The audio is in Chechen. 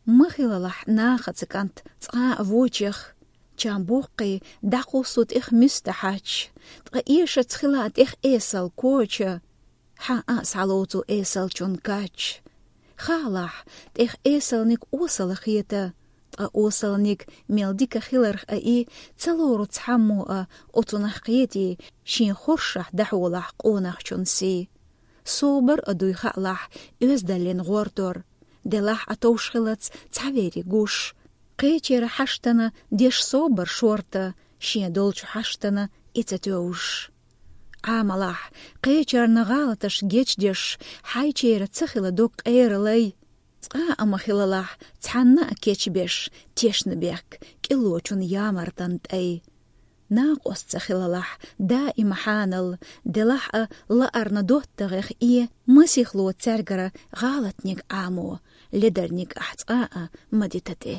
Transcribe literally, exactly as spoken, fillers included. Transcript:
Ма хилалахь нахаца кӀант цкъа а вочех, чам боккхий дӀакхуссу тӀех муьста хьач, ткъа эшац хила тӀех эсал коча, хьан а схьалоцу эсалчун кач. Хаалахь, тӀех эсалниг осала хета, ткъа осалниг мел дика хиларх а и, ца лору цхьаммо а оцунах кхетий, шен хоршахь дӀахьолахь къонахчун сий. Собар а дуй хаалахь, оьздаллин гӀортор. Делахь а товш хилац цхьавериг гуш. Кхечера хьаштана деш собар шорта, шен долчу хьаштана и ца тевжаш. Ӏамалахь, кхечарна гӀалаташ гечдеш, хьайчера ца хила дог къера лай. Цкъа а ма хилалахь, цхьанна а кечбеш, тешна бехк кӀиллочун ямартан тӀай. Накъост ца хилалахь, даима хьанал, делахь а лаарна доттагӀех э, масихло цаьргара гӀалатниг Ӏамо, ледарниг ахь цкъа а ма дита тӀе.